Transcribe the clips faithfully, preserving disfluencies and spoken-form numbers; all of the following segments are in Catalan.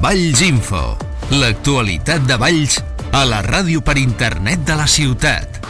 Valls Info, l'actualitat de Valls a la ràdio per internet de la ciutat.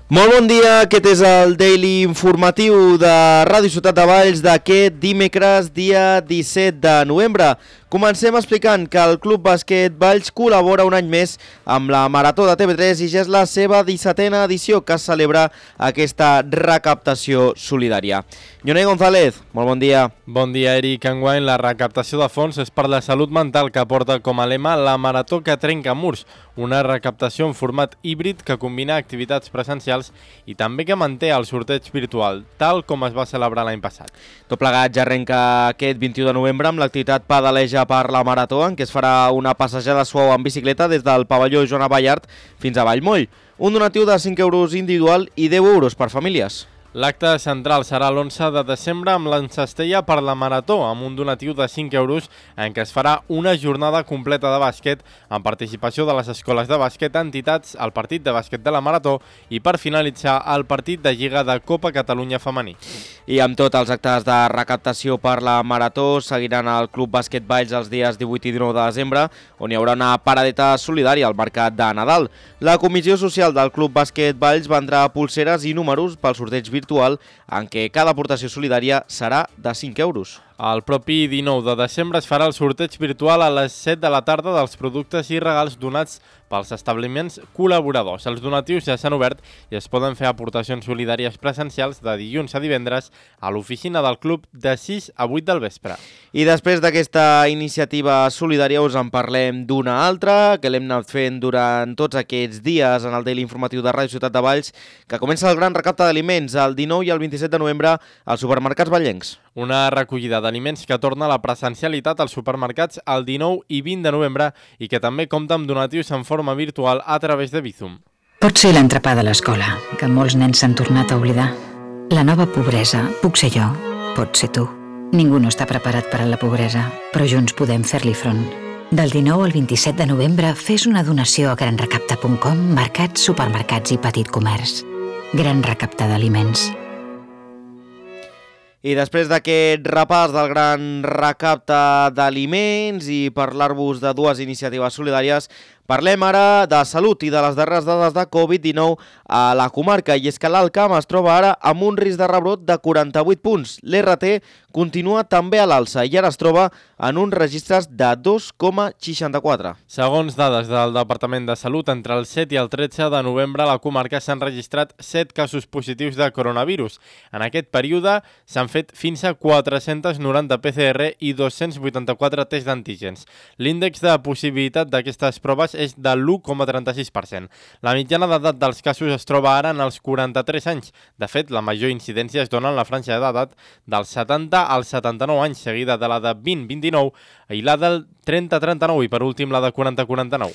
Molt bon dia, aquest és el Daily Informatiu de Ràdio Ciutat de Valls d'aquest dimecres, dia disset de novembre. Comencem explicant que el Club Bàsquet Valls col·labora un any més amb la Marató de T V tres i ja és la seva dissetena edició que celebra aquesta recaptació solidària. Jonei González, molt bon dia. Bon dia, Eric. Enguany la recaptació de fons és per la salut mental, que porta com a lema la Marató que trenca murs, una recaptació en format híbrid que combina activitats presencials i també que manté el sorteig virtual, tal com es va celebrar l'any passat. Tot plegat ja arrenca aquest vint-i-u de novembre amb l'activitat Pedaleja per la Marató, en què es farà una passejada suau en bicicleta des del pavelló Joan Ballart fins a Vallmoll. Un donatiu de cinc euros individual i deu euros per famílies. L'acte central serà l'onze de desembre amb l'encestella per la Marató, amb un donatiu de cinc euros en què es farà una jornada completa de bàsquet amb participació de les escoles de bàsquet, entitats, el partit de bàsquet de la Marató i per finalitzar el partit de Lliga de Copa Catalunya femení. I amb tots els actes de recaptació per la Marató seguiran al Club Bàsquet Valls els dies divuit i dinou de desembre, on hi haurà una paradeta solidària al mercat de Nadal. La comissió social del Club Bàsquet Valls vendrà pulseres i números pel sorteig virtual virtual en què cada aportació solidària serà de cinc euros. El propi dinou de desembre es farà el sorteig virtual a les set de la tarda dels productes i regals donats pels establiments col·laboradors. Els donatius ja s'han obert i es poden fer aportacions solidàries presencials de dilluns a divendres a l'oficina del club de sis a vuit del vespre. I després d'aquesta iniciativa solidària us en parlem d'una altra que l'hem anat fent durant tots aquests dies en el Daily Informatiu de Ràdio Ciutat de Valls, que comença el gran recapte d'aliments el dinou i el vint-i-set de novembre als supermercats vallencs. Una recollida d'aliments que torna a la presencialitat als supermercats el dinou i vint de novembre i que també compta amb donatius en forma virtual a través de Bizum. Pot ser l'entrepà de l'escola, que molts nens s'han tornat a oblidar. La nova pobresa puc ser jo, pot ser tu. Ningú no està preparat per a la pobresa, però junts podem fer-li front. Del dinou al vint-i-set de novembre fes una donació a gran recapta punt com, mercats, supermercats i petit comerç. Gran Recapta d'Aliments. I després d'aquest repàs del gran recapte d'aliments i parlar-vos de dues iniciatives solidàries, parlem ara de salut i de les darreres dades de covid dinou a la comarca. I és que l'Alt Camp es troba ara amb un risc de rebrot de quaranta-vuit punts. L'R T continua també a l'alça i ara es troba en uns registres de dos coma seixanta-quatre. Segons dades del Departament de Salut, entre el set i el tretze de novembre a la comarca s'han registrat set casos positius de coronavirus. En aquest període s'han fet fins a quatre-cents noranta P C R i dos-cents vuitanta-quatre tests d'antígens. L'índex de possibilitat d'aquestes proves és de l'u coma trenta-sis per cent. La mitjana d'edat dels casos es troba ara en els quaranta-tres anys. De fet, la major incidència es dona en la franja d'edat dels setanta als setanta-nou anys, seguida de la de vint a vint-i-nou i la del trenta a trenta-nou i per últim la de quaranta a quaranta-nou.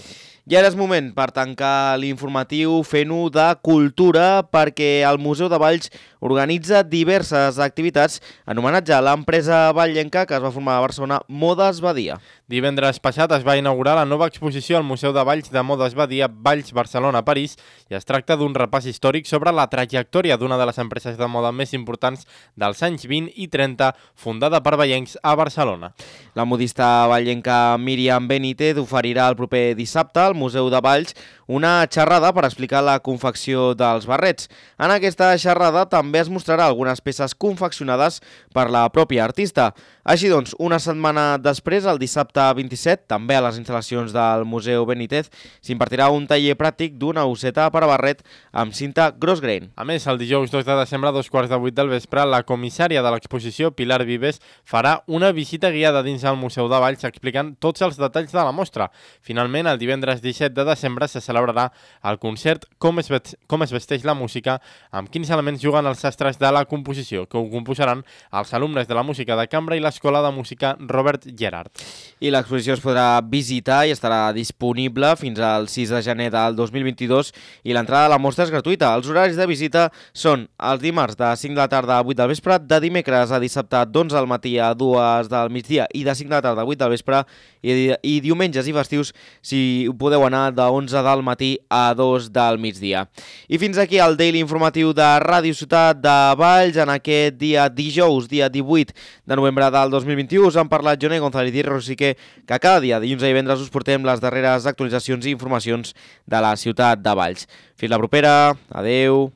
I ara és moment per tancar l'informatiu fent-ho de cultura, perquè el Museu de Valls organitza diverses activitats en homenatge a l'empresa vallenca que es va formar a Barcelona, Modes Badia. Divendres passat es va inaugurar la nova exposició al Museu de Valls de Modes Badia Valls Barcelona París i es tracta d'un repàs històric sobre la trajectòria d'una de les empreses de moda més importants dels anys vint i trenta, fundada per vallencs a Barcelona. La modista vallenca Míriam Benítez oferirà el proper dissabte al Museu de Valls una xerrada per explicar la confecció dels barrets. En aquesta xerrada també es mostrarà algunes peces confeccionades per la pròpia artista. Així doncs, una setmana després, el dissabte vint-i-set, també a les instal·lacions del Museu Benítez, s'impartirà un taller pràctic d'una oseta per a barret amb cinta Grossgrain. A més, el dijous dos de desembre a dos quarts de vuit del vespre, la comissària de l'exposició, Pilar Vives, farà una visita guiada dins el Museu de Valls explicant tots els detalls de la mostra. Finalment, el divendres disset de desembre se celebrarà el concert Com es, com es vesteix la música, amb quins elements juguen els sastres de la composició, que ho composaran els alumnes de la música de cambra i l'Escola de Música Robert Gerard. I l'exposició es podrà visitar i estarà disponible fins al sis de gener del dos mil vint-i-dos i l'entrada a la mostra és gratuïta. Els horaris de visita són els dimarts de cinc de la tarda a vuit del vespre, de dimecres a dissabte d'onze del matí a dues del migdia i de cinc de la tarda a vuit del vespre i, i diumenges i festius si podeu anar de onze del matí a dos del migdia. I fins aquí el Daily Informatiu de Ràdio Ciutat de Valls en aquest dia dijous, dia divuit de novembre del dos mil vint-i-u. Us han parlat Joné González i Rosique, que cada dia, dilluns i divendres, us portem les darreres actualitzacions i informacions de la ciutat de Valls. Fins la propera, adeu.